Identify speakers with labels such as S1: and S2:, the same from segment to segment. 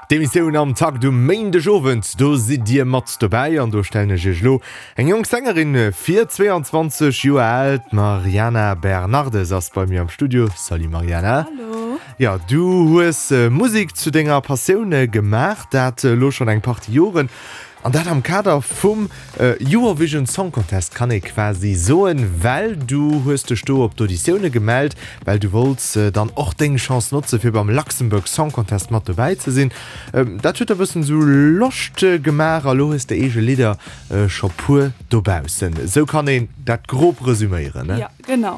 S1: D'Emissioun Am Takt um Méindegowend, do sidd Dir mat dobäi an do stellen ech Iech elo eng jonk Sängerin vir, 22 Joer al, d'Mariana Bernardes ass bei mir am Studio. Salut Mariana.
S2: Hallo.
S1: Jo, du hues Musek zu denger Passioun gemaach, dat elo schonn eng Partie Joren. An dat am Kader vum Eurovision Song Contest kann ee quasi soen, well du hues dech do op d'Auditioune gemellt, well du wollts dann och deng Chance notze fir beim Luxembourg Song Contest mat dobäi ze sinn. Dat huet der bëssen esou Loscht gemaach a lo hues de eege Lidder scho puer dobaussen. Esou kann een dat grob resüméieren, ne?
S2: Jo, genau.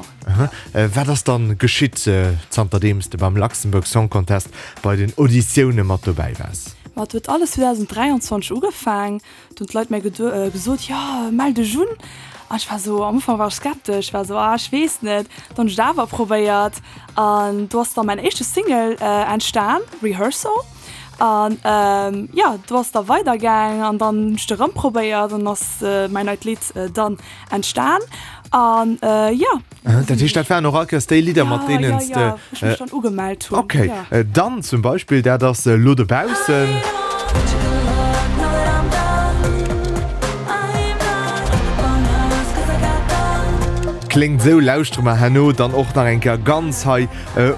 S1: Wat ass dann geschitt zanterdeems de beim Luxembourg Song Contest bei den Auditioune mat dobäi waars?
S2: Ma et huet alles 2023 ugefaang. Do hunn d'Leit mir gesot, jo mell dech un. An ech war esou, am Ufank war ech skeptesch, war esou, ah ech weess net. Dann hunn ech et awer probéiert an do ass da mäin éischte Single entstan, Rehearsal. An jo, do ass da weider gaang an dann hunn ech et erëm probéiert an ass mäin neit Lidd dann entstan an jo.
S1: Dat heescht, dat waren och all Kéiers déi Lidder, mat deenen s de.
S2: Ja, ja, ja, ech mech dann ugemellt hunn.
S1: Okay, dann zum Beispill, dat ass elo dobaussen. Kléngt esou, lauschtere mer herno dann och nach eng Kéier ganz hei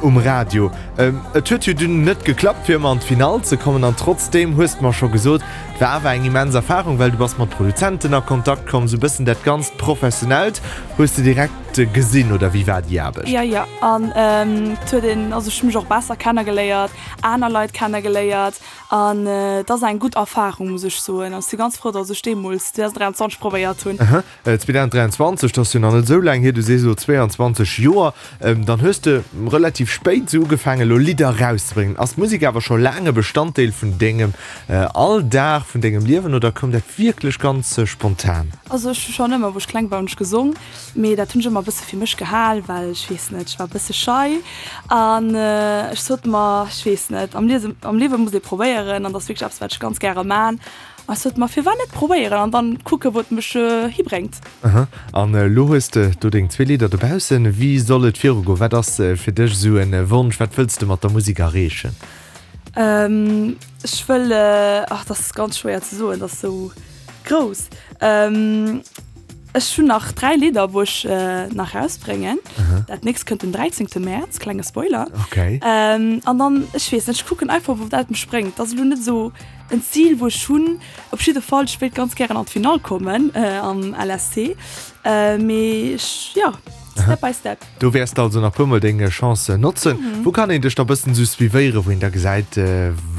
S1: um Radio. Et huet jo dunn net geklappt, fir ëmmer an d'Finall ze kommen an trotzdeem hues de mer scho gesot, et war awer eng immens Erfarung, well du bass mat Produzenten a Kontakt komm, sou bëssen dat ganzt Professionellt hues de direkt gesinn, oder wéi war déi Aarbecht?
S2: Jo, jo, an et huet een, also ech hu mech och besser kennegeléiert, aner Leit kennegeléiert an et ass eng gutt Erfarung, muss ech soen. An ech si ganz frou, datt ech deemools 2023 probéiert hunn.
S1: 2023, dat ass jo nach net esou laang hier, du sees elo 22 Joer, dann hues de relativ spéit esou ugefaangen elo Lidder erauszebréngen. Ass d'Musek awer scho laang e Bestanddeel vun dengem Alldag, vun dengem Liewen oder koum dat wierklech ganz spontan?
S2: Also ech hu schonn ëmmer wou ech kleng war hunn ech gesong, mee dat hunn ech ëmmer e bësse fir mech gehal, well ech weess net, ech war e bësse schei an ech sot mer, ech weess net, am Liewe muss ee probéieren an dat ass wierklech eppes wat ech ganz gäre man. Ech sot mer, firwat net probéieren an dann kucken, wou et mech hibréngt.
S1: Aha, an elo hues de do deng zwee Lidder dobaussen. Wéi soll et virugoen? Wat ass fir dech esou en Wonsch? Wat wëlls de mat der Musek erreechen?
S2: Ech wëll, ach dat ass ganz schwéier ze soen, dat ass esou grouss. Ech hunn nach 3 Lidder, wou ech nach rausbréngen. Dat nächst kënnt den 13. Mäerz, klenge Spoiler.
S1: Okay.
S2: An dann, ech weess net, ech kucken einfach, wou dat mech bréngt. Dat ass elo net esou En Zil wou ech hunn, op jidde Fall, ech wéilt ganz gären an d'Finall kommen am LSC, mee ech, jo, step by step.
S1: Do wäers de also nach puermol deng Chance notzen. Wou kann een dech da bëssen esou suivéieren, wou een da gesäit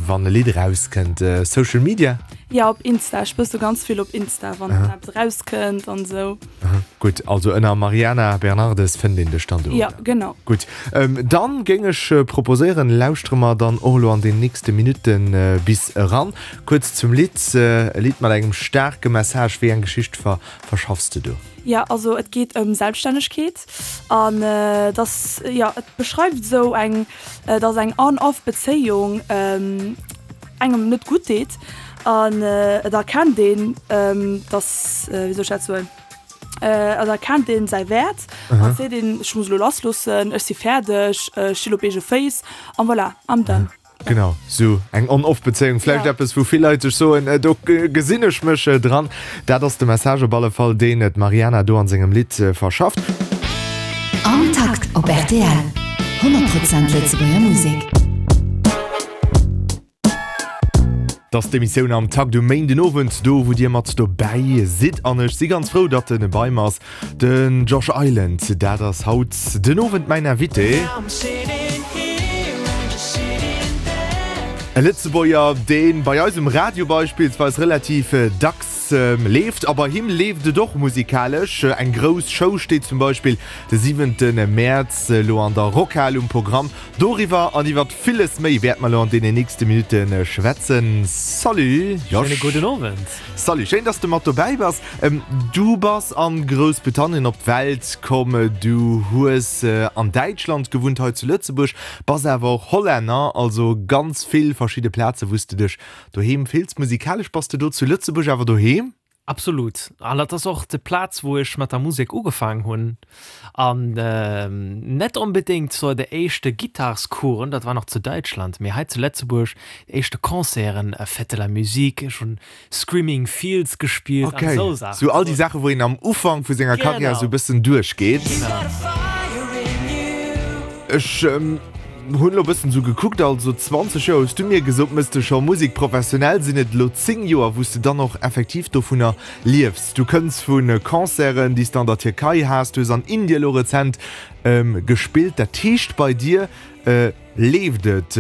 S1: wann e Lidd erauskënnt? Social Media?
S2: Jo, op Insta, ech poste ganz vill op Insta wann eppes erauskënnt an esou.
S1: Gutt, also ënner Mariana Bernardes fënnt een dech dann do,
S2: oder? Jo, genau.
S1: Gutt, dann géing ech proposéieren, lauschtere mer dann och elo an den nächste Minutte bis eran. Kuerz zum Lidd, e Lidd mat engem staarke Message. Wéi eng Geschicht verschaffs de do?
S2: Jo, also et geet ëm Selbststännegkeet an dass, jo, et beschreift esou eng, dass eng On-Off-Bezéiung engem net gutt deet an et erkennt een, dass, wéi soll ech dat soen, et erkennt een säi Wäert an seet een, ech muss elo lassloossen, ech si fäerdeg, ech stinn op eege Féiss an voilà, I'm done.
S1: Genau, sou eng On-Off-Bezéiung, vläicht eppes, wou vill Leit sech soen, do gesinn ech mech dran. Dat ass de Message op alle Fall, deen d'Mariana do an sengem Lidd verschafft.
S3: Am Takt op rtl, 100 Prozent Lëtzebuerger Musek.
S1: 't ass d'Emissioun Am Takt um Méindenowend, do wou dir mat dobäi sidd. An ech si ganz frou, datt en bei mer ass, den Josh Island. Dat ass haut den Owend mäin Invité. E Lëtzebuerger, dee bei eis um Radio beispillsweis relativ dacks leeft. A bei him leeft et och musikalesch. Eng grouss Show steet zum Beispill de siwente Mäerz elo an der Rockhal um Programm. Doriwwer an iwwert villes méi wäerte mer elo an deenen nächste Minutte schwätzen. Salut Josh.
S4: Schéine gudden Owend.
S1: Salut, schéin dass de mat dobäi bass. Du bass an Groussbritannien op d'Welt komm, du hues an Däitschland gewunnt, hei zu Lëtzebuerg, bass awer och Hollänner, also ganz vill verschidde Plaze wou s de dech doheem fills. Musikalesch bass de do zu Lëtzebuerg awer doheem?
S4: Absolut. An dat ass och de Plaz, wou ech mat der Musek ugefaang hunn. An net onbedéngt zur de éischte Gittarscoursen, dat war nach zu Däitschland, mee hei zu Lëtzebuerg déi éischte Concerten, Fête de la Musique, ech hunn Screaming Fields gespillt an esou
S1: Saachen. Sou all déi Saachen, wou een am Ufank vu senger Karriär sou e bëssen duerchgeet. Ech hunn elo bëssen sou gekuckt, also 20 Joer hues du mir gesot, mëss de scho Musek professionell. Sinn et elo 10 Joer, wou s de dann och effektiv dovunner liefs? Du kënns vu Concerten, déi s de an der Tierkei has, du hues an Indien elo rezent gespillt. Dat heescht bei dir leeft et.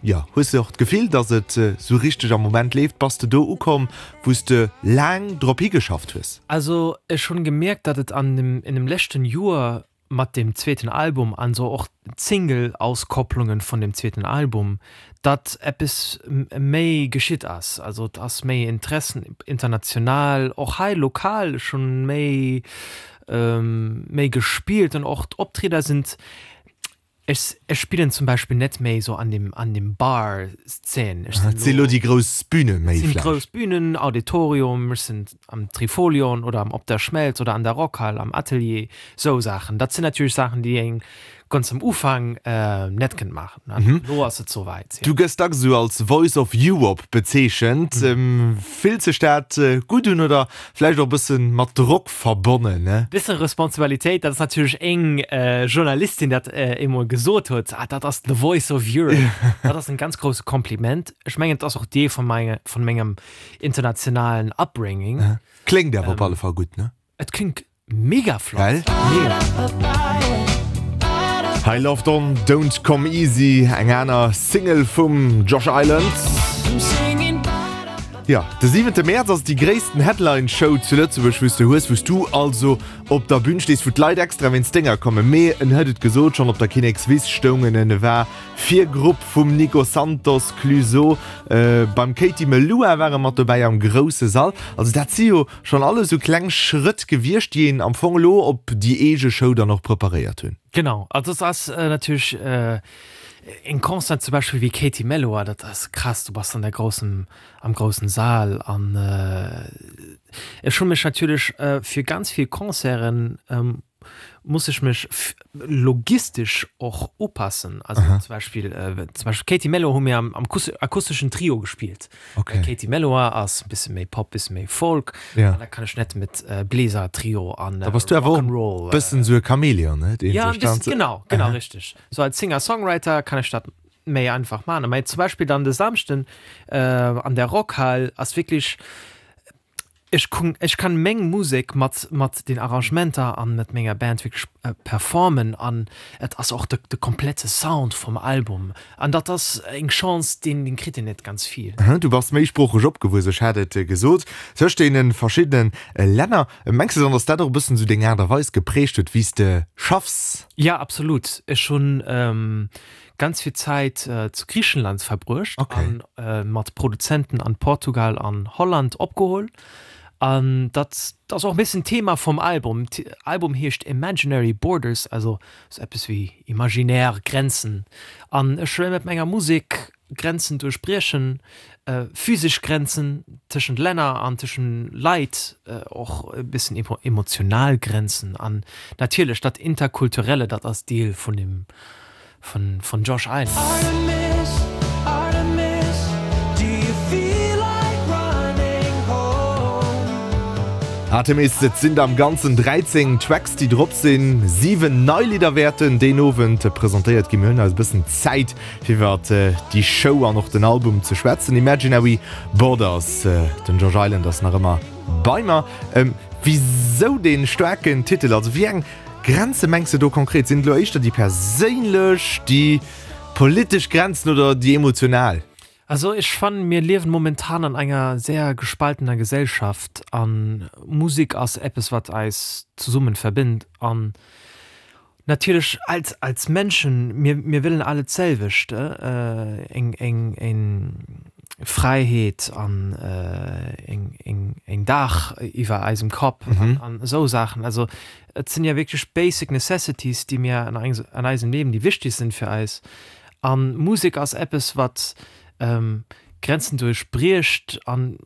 S1: Jo, hues de och d'Gefill, dass et sou richteg am Moment leeft? Bass de do ukomm, wou s de laang drop higeschafft hues?
S4: Also ech hunn gemierkt, datt et an dem in dem leschten Joer mat dem zweeten Album an sou och d'Single-Auskopplungen vun dem zweeten Album, datt eppes méi geschitt ass. Also et ass méi Interessen international, och hei lokal, ech hunn méi méi gespillt an och d'Optrieder sinn Ech ech spillen zum Beispill net méi sou an dem an dem Bar Szene. Ech
S1: sinn lo déi grouss Bühne méi
S4: vläicht. Sinn grouss Bühnen, Auditorium, ech sinn am Trifolion oder am Op der Schmelz oder an der Rockhal am Atelier, sou Saachen. Dat sinn natierlech Saachen déi een ganz am Ufank net kënnt maachen. Lo ass et sou wäit,
S1: jo. Du gëss dacks esou als Voice of Europe bezeechent. Fillt sech dat gutt un oder vläicht och e bësse mat Drock verbonnen, ne?
S4: Bëssen Responsabilitéit, dat ass natierlech eng Journalistin dat eemol gesot huet, ah dat ass the voice of Europe. Dat ass en ganz grousse Kompliment. Ech mengen et ass och Deel vun menge vun mengem internationalen Upbringing.
S1: Kléngt awer op alle Fall gutt, ne?
S4: Et klingt mega flott.
S1: Well? Mega. Hei Love Don't Don't Come Easy, eng aner Single vum Josh Island. Jo, de siwente Mäerz ass déi gréissten Headline Show zu Lëtzebuerg, wou s de hues, wou s du also op der Bün stees, wou d'Leit extra wéinst denger kommen. Mee en huet et gesot, schonn op der Kinnekswiss stoungen en, e war Virgrupp vum Nico Santos, Clueso, beim Katie Melua war e mat dobäi am grousse Sall. Also dat si jo schonn alles esou kleng Schrëtt gewiescht, déi een am Fong elo op déi eege Show dann och preparéiert hunn.
S4: Genau, also et ass natierlech Eng Concert zum Beispill wéi Katie Melua, dat ass krass, du bass an der groussen, am groussen Saal an ech hu mech natierlech fir ganz vill Concerten muss ech mech logistesch och upassen. Also zum Beispill, zum Beispill Katie Melua hu mir am am akusteschen Trio gespillt. Okay. Katie Melua ass e bësse méi Pop, bësse méi Folk. Ja. An da kann ech net mit äh, Bläser Trio an
S1: äh, Da bass du awer och bëssen esou e Chamäleon, ne?
S4: Deen ja, sech dann genau, genau richtig. So als Singer-Songwriter kann ech dat méi einfach maachen. Mä zum Beispill dann de Samschden äh, an der Rockhal ass wierklech ech kun, ech kann meng Musek mat mat den Arrangementer an mat menger Band wierklech äh, performen an et ass och de, de komplette Sound vum Album an dat ass eng Chance, deen deen kritt een net ganz vill.
S1: Du bass méisproocheg opgewuess, ech hat et gesot, tëscht deene verschiddene Länner. Mengs de dann, datt dat och e bëssen esou deng Aart a Weis geprägt huet, wéi s de schaffs?
S4: Ja, absolut. Ech hunn ganz vill Zäit zu Griichenland verbruecht an mat Produzenten an Portugal an Holland opgeholl. An dat ass och e bëssen d'Thema vum Album. Album heescht Imaginary Borders, also sou eppes wéi imaginär Grenzen. An ech wëll mat menger Musek Grenzen duerchbriechen, physesch Grenzen tëschent Länner an tëschent Leit, och e bëssen emotional Grenzen an natierlech dat Interkulturelle, dat ass Deel vun dem vun Josh Island.
S1: Artemis, Et sinn der am Ganzen 13 Tracks déi drop sinn. 7 nei Lidder wäerten deen Owend presentéiert ginn. Mir hunn eis e bëssen Zäit fir iwwer déi Show an och den Album ze schwätzen. Imaginary Borders, den Josh Island ass nach ëmmer bei mer. Wisou dee staarken Titel? Also wéi eng Grenze mengs de do konkret? Sinn et elo éischter déi perséinlech, déi politesch Grenzen oder déi emotional?
S4: Also ech fannen, mir liewen momentan an enger sehr gespaltener Gesellschaft an Musik ass eppes wat eis zesummen verbinnt an natierlech als als Menschen, mir mir wëllen alle d'selwecht, eng eng eng Fräiheet an eng eng eng Daach iwwer eisem Kapp an esou Saachen. Also et sinn ja wierklech basic necessities, déi mir an an eisem Liewen, déi wichteg sinn fir eis. An Musek ass eppes wat. Grenzen duerchbriecht an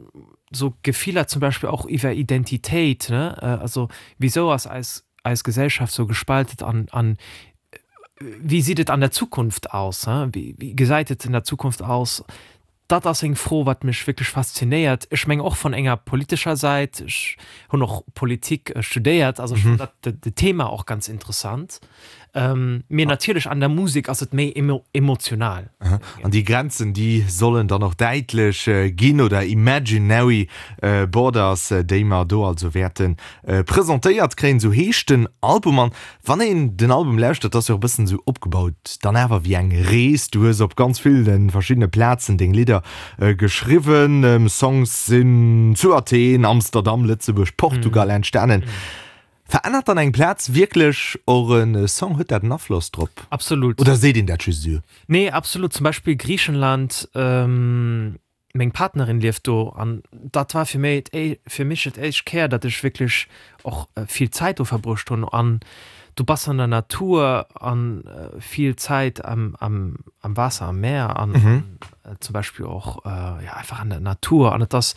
S4: sou Gefiller zum Beispill och iwwer Identitéit, ne, also wisou ass eis eis Gesellschaft sou gespaltet an an wéi sidd et an der Zukunft aus, he, wéi gesäit et in der Zukunft aus? Dat ass eng Fro, wat mech wierklech faszinéiert. Ech meng och vun enger politescher Säit, ech hunn och Politik studéiert, also ech fannen dat de Thema och ganz interessant. Mee natierlech an der Musek ass et méi emotional.
S1: An déi Grenzen, déi sollen dann och däitlech ginn, oder imaginary borders, déi mer do also wäerte presentéiert kréien. Esou heescht den Album. An Wann een den Album lauschtert, ass jo och e bëssen esou opgebaut dann awer wéi eng Rees. Du hues op ganz ville verschiddene Plazen deng Lidder geschriwwen. Songs sinn zu Athen, Amsterdam, Lëtzebuerg, Portugal entstanen. Verännert dann eng Plaz wierklech och e Song? Huet dat en Afloss drop?
S4: Absolut.
S1: Oder seet een dat just esou?
S4: Nee, absolut. Zum Beispill Griichenland. Meng Partnerin lieft do an dat war fir méi fir mech et éischt Kéier, datt ech wierklech och vill Zäit do verbruecht hunn an du bass an der Natur an vill Zäit am am am Waasser, am Meer an zum Beispill och jo einfach an der Natur an et ass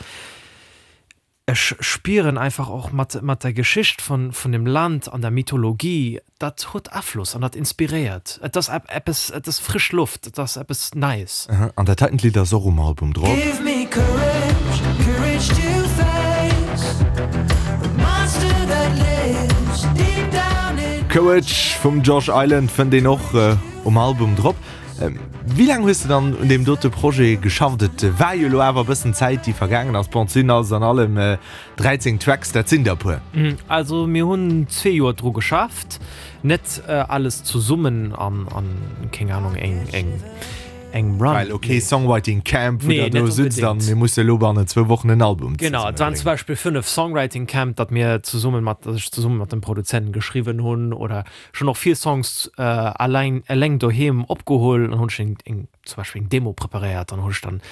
S4: Ech spieren einfach och mat mat der Geschicht vun vun dem Land an der Mythologie, dat huet Afloss an dat inspiréiert. Et ass eppes, et ass frësch Loft, et ass eppes Neies.
S1: An dat heitent Lidd ass och um Album drop. Give me courage, courage to face the monster that lives deep down in. Courage vum Josh Island fënnt een och um Album drop. Wéi laang hues de dann un deem dote Projet geschafft? Et war jo elo awer e bëssen Zäit, déi vergaangen ass. Bon, et sinn alles an allem 13 Tracks, dat sinn der e puer.
S4: Also mir hunn zwee Joer dru geschafft, net alles zesummen an, keng Anung, eng engem
S1: Run. Well ok, Songwriting Camp, wou der do sëtzt an mir musse elo bannen zwou Wochen en Album
S4: zesummen bréngen. Genau, et waren zum Beispill 5 Songwriting Camp, datt mir zesumme mat, datt ech zesumme mat dem Produzenten geschriwwen hunn oder Ech hunn och vill Songs alleng eleng doheem opgeholl an hunn ech eng eng zum Beispill eng Demo preparéiert an hunn ech dann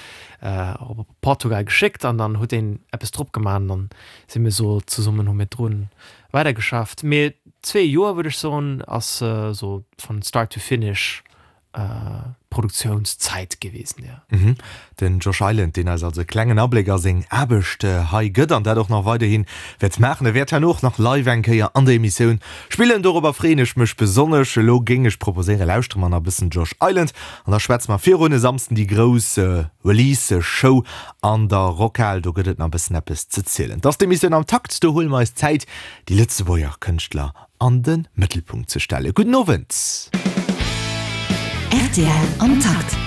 S4: op Portugal geschéckt an dann huet een eppes drop gemaach an dann si mir sou zesummen hu mir drun weidergeschafft. Mee zwee Joer würde ech soen ass sou von start to finish Produktiounszäit gewesen,
S1: jo. Den Josh Island, deen eis also e klengen Abléck a seng Aarbecht hei gëtt an dat och nach weiderhi wäert maachen. E wäert herno och nach live eng Kéier an der Emissioun spillen, dorobber freeën ech mech besonnesch. Elo géing ech proposéieren, lauschtere mer nach e bëssen Josh Island an da schwätze mer virun e Samsden déi grouss Release-Show an der Rockhal. Do gëtt et nach e bëssen eppes ze zielen. Et ass d'Emissioun am Takt, do huele mer eis Zäit, déi Lëtzebuerger Kënschtler an de Mëttelpunkt ze stellen. Gudden Owend!
S3: Rtl am Takt.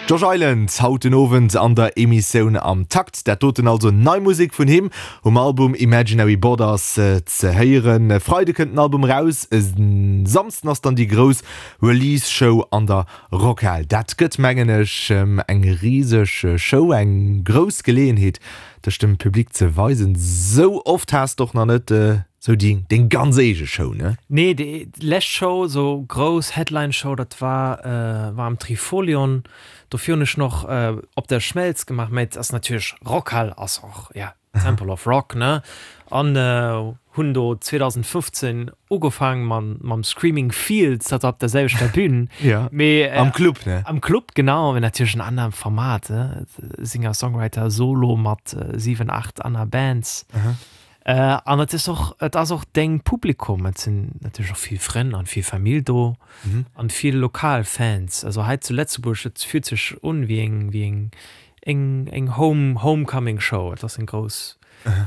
S1: Josh Island haut den Owend an der Emissioun am Takt. Dat doten also nei Musek vun him um Album Imaginary Borders ze héieren. E Freide kënnt den Album eraus, e Samsden ass dann déi grouss Release Show an der Rockhal. Dat gëtt mengen ech eng riseg Show, eng grouss Geleeënheet dech dem Public ze weisen. Sou oft has de och nach net sou déi deng ganz eege Show, ne?
S4: Nee, déi lescht Show, sou grouss Headline Show, dat war war am Trifolion. Dofir hunn ech nach Op der Schmelz gemaach, mä et ass natierlech Rockhal ass och, ja, Temple of Rock, ne? An hunn do 2015 ugefaang mam mam Screaming Fields, dat war op der selwechter Bühn.
S1: Ja.
S4: Mee
S1: Am Club, ne?
S4: Am Club, genau, mee natierlech en anerem Format, ne? Singer-Songwriter Solo mat 7, 8 aner Bands. An et ass och, et ass och deng Publikum, et sinn natierlech och vill Frënn an vill Famill do an vill lokal Fans. Also hei zu Lëtzebuerg, et fillt sech un wéi eng, wéi eng, eng, eng Home, Homecoming Show. Et ass eng grouss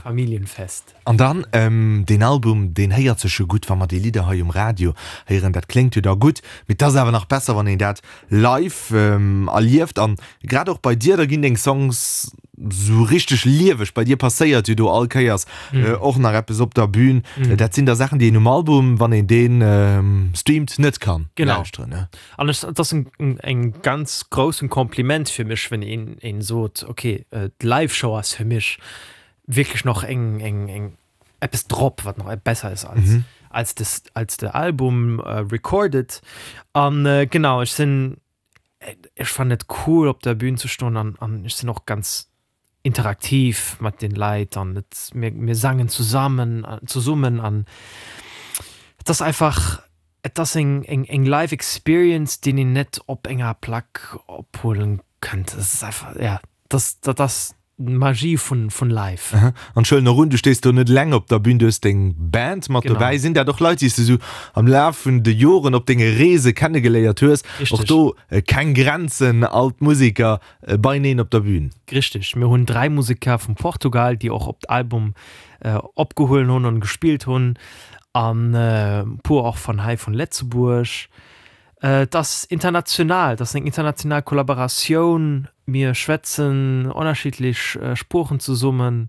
S4: Familljenfest.
S1: An dann, deen Album, deen héiert sech jo gutt, wa mer déi Lidder hei um Radio héieren, dat kléngt jo da gutt, mee et ass awer nach besser, wann een dat live erlieft. An grad och bei dir, da ginn deng Songs sou richteg lieweg, bei dir passéiert jo do all Kéiers och nach eppes op der Bühn. Dat sinn da Saachen, déi een um Album, wann een dee streamt, net kann lauschteren, ne?
S4: An ech, et ass en ganz groussen Kompliment fir mech, wenn een, een sot, okay, d'Live-Show ass fir mech wierklech nach eng, eng, eng eppes drop, wat nach besser ass als, als des, als de Album recorded. An genau, ech sinn, ech fannen et cool op der Bühn ze stoen an, an ech sinn och ganz interaktiv mat den Leit an et, mir, mir sangen zusammen, zesummen an et ass einfach, et ass eng, eng, eng Live Experience, deen een net op enger Plack ophuelen. kënnt. Dat ass einfach, ja, dat, dat ass d'Magie vun, vun live.
S1: An ech huelen och un, du stees do net eleng op der Bühn, du hues deng Band mat dobäi. Sinn dat och Leit, déi s de sou am Laf vun de Joren op denge Reese kennegeléiert hues? Och do keng Grenzen, all d'Museker beineen op der Bühn?
S4: Richteg, mir hunn 3 Museker vum Portugal, déi och op d'Album opgehuelen hunn an gespillt hunn, an e puer och van hei vun Letzebuerg. Et ass international, et ass eng international Kollaboratioun. Mir schwätzen ënnerschiddlech Sproochen zesummen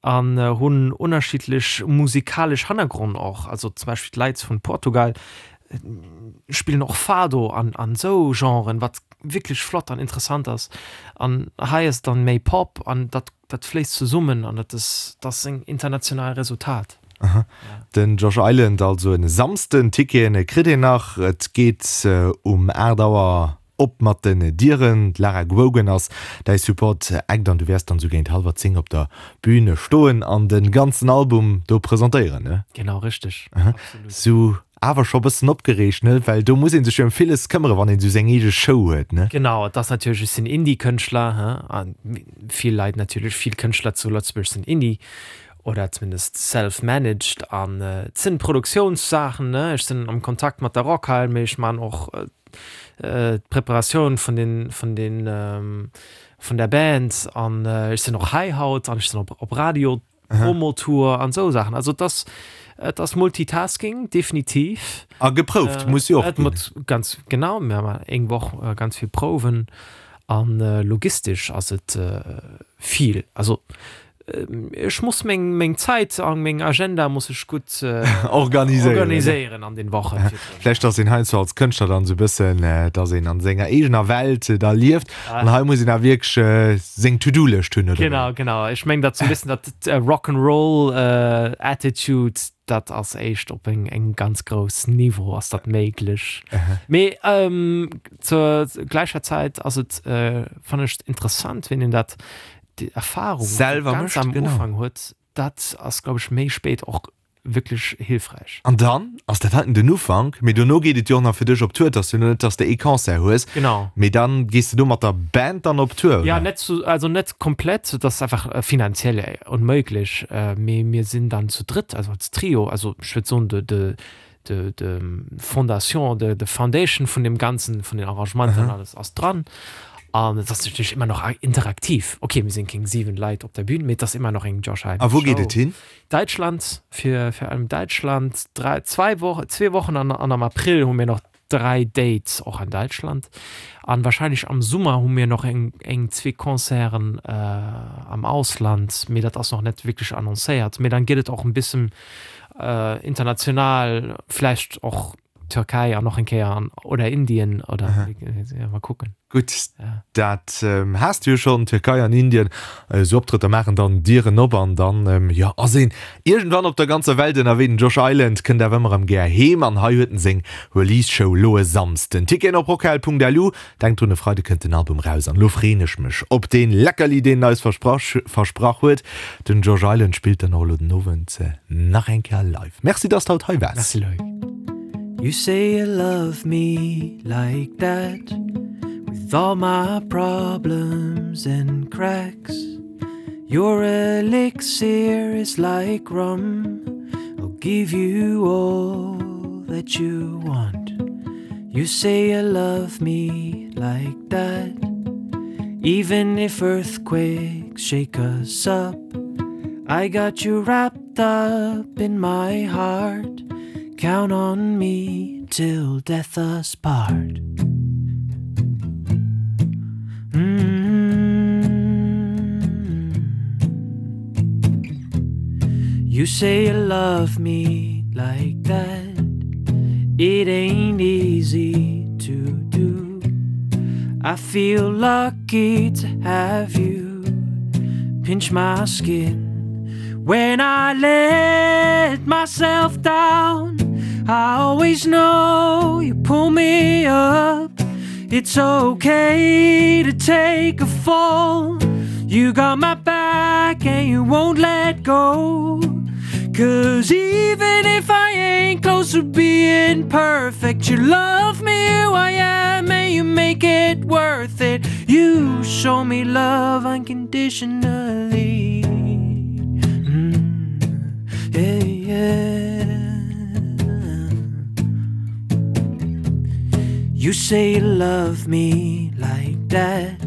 S4: an hunn ënnerschiddlech musikalesch Hannergronn och. Also zum Beispill d'Leit vun Portugal spillen och Fado an an esou Genren, wat wierklech flott an interessant ass. An hei ass et dann méi Pop an dat Dat fléisst zesummen an dat ass dat ass en international Resultat.
S1: Aha. Den Josh Island also en Samsden. Ticketen kritt een nach. Et geet um 8 Auer op mat den Dieren. D'Lara Grogan ass däi Support Act an du wäers dann sou géint hallwer 10 op der Bühn stoen an den ganzen Album do presentéieren, ne?
S4: Genau, richteg.
S1: Absolut. Sou Awer scho bëssen opgereegt, ne? Well do muss ee sech jo ëm villes këmmere wann een esou seng eege Show huet, ne?
S4: Genau, et ass natierlech, ech sinn Indie-Kënschtler, he, a vill Leit natierlech, vill Kënschtler zu Lëtzebuerg sinn Indie oder zumindest self-managed an et sinn Produktiounssaachen, ne? Ech sinn am Kontakt mat der Rockhal, mee ech man och d'Preparatioun vun den, vun den, vun der Band an ech sinn och hei haut an ech sinn op op Radio. Promotour an esou Saachen. Also et ass, et ass Multitasking, definitiv.
S1: A geprouft muss jo och
S4: ginn. Ganz genau, mir hu eng Woch ganz vill Prouwen an logistesch ass et vill. Also ech muss meng, meng Zäit a meng Agenda muss ech gutt
S1: organiséieren
S4: an den Wochen virdrun.
S1: Vläicht ass een heiansdo als Kënschtler dann esou e bëssen, dass een an senger eegener Welt da lieft. An hei muss een awer wierklech seng To-Do-Lëscht hunn,
S4: oder? Genau, genau. Ech mengen dat sou e bëssen dat Rock'n'Roll Attitude, dat ass éischt op eng eng ganz grouss Niveau ass dat méiglech. Mee zur gläicher Zäit ass et, fannen ech interessant, wéi een dat déi Erfahrung
S1: Selwer
S4: ganz
S1: mécht,
S4: am
S1: genau.
S4: Ufank huet, dat ass glaub ech méi spéit och wierklech hilfräich.
S1: An dann ass dat heiten den Ufank, mee dono geet et jo och nach fir dech op Tour. Et ass jo net, dass de ee Concert hues,
S4: Genau.
S1: mee dann gees de do mat der Band dann op Tour,
S4: Ja, oder? net zu, also net komplett, dat ass einfach finanziell onméiglech, mee mir sinn dann zu drëtt, also als Trio, also ech würd soen de, de, de, de Fondation, de, de Foundation vun deem Ganzen, vun den Arrangementer an alles ass dran. An et ass natierlech ëmmer nach interaktiv. Okay, mir sinn keng 7 Leit op der Bühn, mee et ass ëmmer nach eng Josh Hyman
S1: A wou geet et
S4: Show.
S1: hin?
S4: Däitschland, fir fir allem Däitschland, dräi, zwei Wochen, zwee Wochen an an am April hu mir nach dräi Dates och an Däitschland. An wahrscheinlech am Summer hu mir nach eng eng zwee Concerten am Ausland, mee dat ass nach net wierklech annoncéiert. Mee dann geet et och en bissen international, vläicht och Türkei an och eng Kéier an oder Indien oder ja, mal kucken.
S1: Gutt, dat has de jo schonn, Türkei an Indien, esou Optrëtter maachen dann Dieren op an dann, jo, ass een iergendwann op der ganzer Welt ënnerwee. Den Josh Island kënnt awer ëmmer erëm gär heem an hei huet en seng Release-Show elo e Samsden. Ticketen op rockhal.lu. Denkt drun, e Freide kënnt den Album raus an elo freeën ech mech op dee Leckerli, deen en eis versprach versprach huet. Den Josh Island spillt dann och elo den Owend nach eng Kéier live. Merci, dass de haut hei waars.
S4: Merci Loïc.
S5: You say you love me like that With all my problems and cracks Your elixir is like rum I'll give you all that you want You say you love me like that Even if earthquakes shake us up I got you wrapped up in my heart Count on me till death us part mm -hmm. You say you love me like that It ain't easy to do I feel lucky to have you Pinch my skin When I let myself down I always know you pull me up It's okay to take a fall You got my back and you won't let go. Cause even if I ain't close to being perfect, you love me who I am and you make it worth it. You show me love unconditionally. Mm, yeah, yeah. You say you love me like that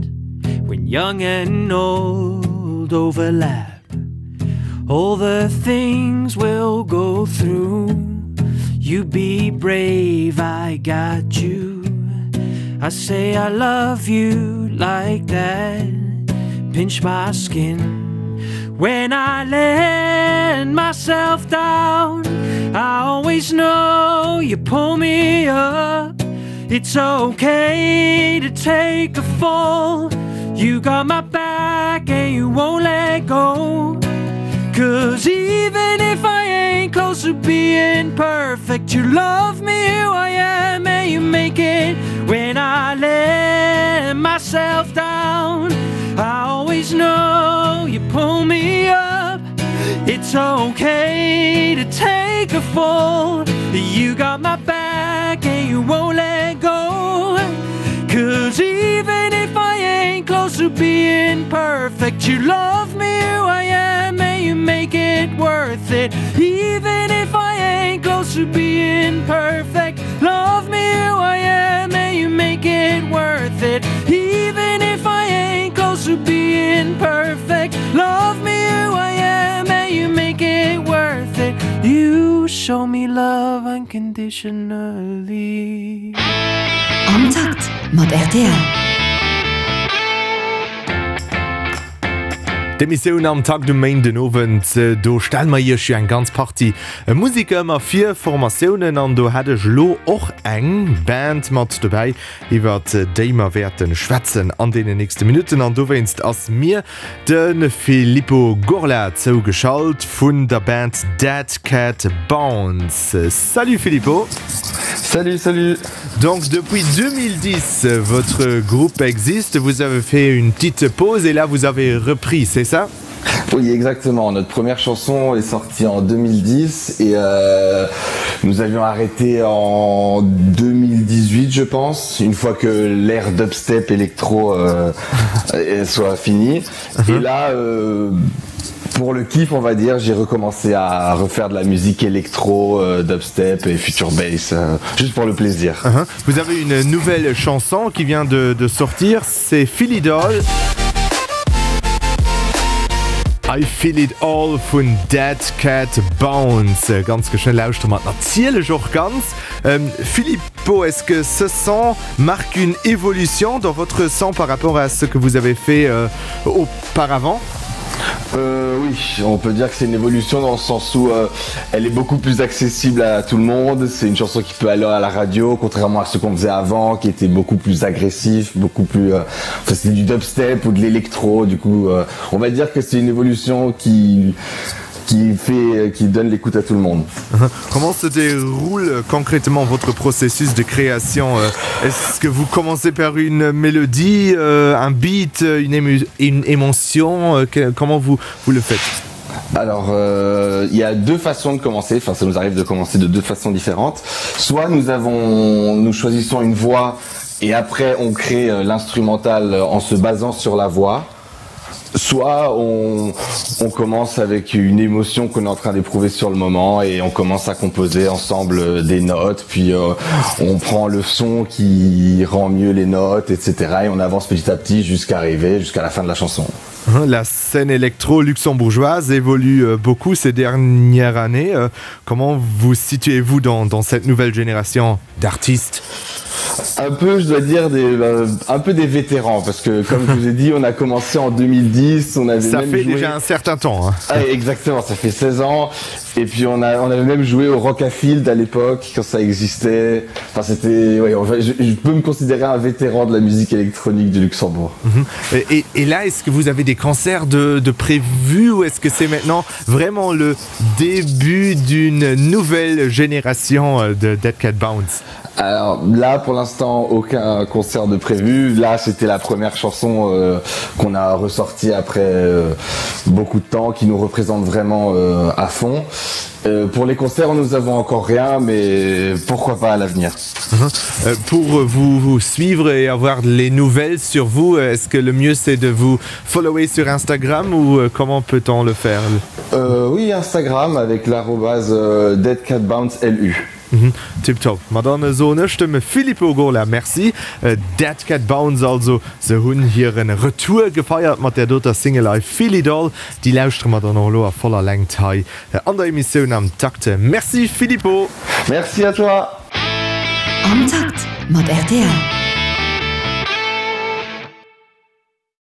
S5: when young and old overlap. All the things we'll go through. You be brave, I got you. I say I love you like that. Pinch my skin. When I let myself down, I always know you pull me up. It's okay to take a fall. You got my back and you won't let go. Cause even if I ain't close to being perfect, you love me who I am and you make it when I let myself down. I always know you pull me up. It's okay to take a fall. You got my back and you won't let go. Cause even if I ain't close to being perfect, you love me who I am and you make it worth it. Even if I ain't close to being perfect, love me who I am and you make it worth it. Even if I ain't close to being perfect, love me who I am and you make it worth it. You show me love unconditionally.
S3: Am Takt mat rtl.
S1: D'Emissioun Am Takt um Méindenowend, do stelle mer Iech jo eng ganz Partie Museker ëmmer vir, Formatiounen, an do hätt ech elo och eng Band mat dobäi, iwwert déi mer wäerte schwätzen an deenen nächste Minutten. An dowéinst ass mir De Filippo Gorla zougeschalt vun der Band Dead Cat Bounce. Salut Filippo.
S6: Salut, salut.
S1: Donc depuis 2010 votre groupe existe, vous avez fait une petite pause et là vous avez repris, c'est ça?
S6: Oui exactement, notre première chanson est sortie en 2010 et euh, nous avions arrêté en 2018 je pense, une fois que l'ère dubstep électro euh, soit finie. Et là euh, pour le kiff on va dire, j'ai recommencé à refaire de la musique électro, euh, dubstep et future bass euh, juste pour le plaisir.
S1: Uh -huh. Vous avez une nouvelle chanson qui vient de, de sortir, c'est Philidol. I Feel It All vun Dead Cat Bounce. Ganz geschwënn lauschtere mer et natierlech och ganz. Filippo, est-ce que ce son marque une évolution dans votre son par rapport à ce que vous avez fait auparavant?
S6: Euh, oui, on peut dire que c'est une évolution dans le sens où euh, elle est beaucoup plus accessible à tout le monde. C'est une chanson qui peut aller à la radio, contrairement à ce qu'on faisait avant, qui était beaucoup plus agressif, beaucoup plus euh, enfin, c'était du dubstep ou de l'électro. Du coup, euh, on va dire que c'est une évolution qui qui fait qui donne l'écoute à tout le monde.
S1: Comment se déroule concrètement votre processus de création? Euh, est-ce que vous commencez par une mélodie, euh, un beat, une, ému une émotion? Euh, que, comment vous, vous le faites?
S6: Alors euh, il y a deux façons de commencer, enfin ça nous arrive de commencer de deux façons différentes. Soit nous avons nous choisissons une voix et après on crée euh, l'instrumental en se basant sur la voix soit on, on commence avec une émotion qu'on est en train d'éprouver sur le moment et on commence à composer ensemble euh, des notes puis euh, on prend le son qui rend mieux les notes etc et on avance petit à petit jusqu'à arriver jusqu'à la fin de la chanson.
S1: La scène électro luxembourgeoise évolue euh, beaucoup ces dernières années. Euh, comment vous situez-vous dans, dans cette nouvelle génération d'artistes?
S6: Un peu je dois dire des euh, un peu des vétérans parce que comme je vous ai dit on a commencé en 2010 on avait
S1: ça
S6: même
S1: fait
S6: joué...
S1: déjà un certain temps hein.
S6: ah, exactement ça fait 16 ans et puis on a on avait même joué au Rockafield à l'époque quand ça existait enfin c'était ouais, enfin, je, je peux me considérer un vétéran de la musique électronique du Luxembourg
S1: mm -hmm. et, et, et là est-ce que vous avez des concerts de, de prévus ou est-ce que c'est maintenant vraiment le début d'une nouvelle génération euh, de Dead Cat Bounce
S6: Alors là pour l'instant aucun concert de prévu là c'était la première chanson euh, qu'on a ressorti après euh, beaucoup de temps qui nous représente vraiment euh, à fond. Euh, pour les concerts, nous avons encore rien, mais pourquoi pas à l'avenir.
S1: Euh, pour vous, vous suivre et avoir les nouvelles sur vous, est-ce que le mieux c'est de vous follower sur Instagram ou euh, comment peut-on le faire
S6: euh, Oui, Instagram avec l'arrobase euh, deadcatbounceLU.
S1: Mhm, tip top. Ma dann soen ech dem Filippo Gola Merci. Dead Cat Bounce also, se hunn hiren Retour gefeiert mat där doter Single I Feel It All. Déi lauschtere mer dann och elo a voller Längt hei an der Emissioun Am Takt. Merci Filippo!
S6: Merci à toi!
S3: Am Takt mat rtl.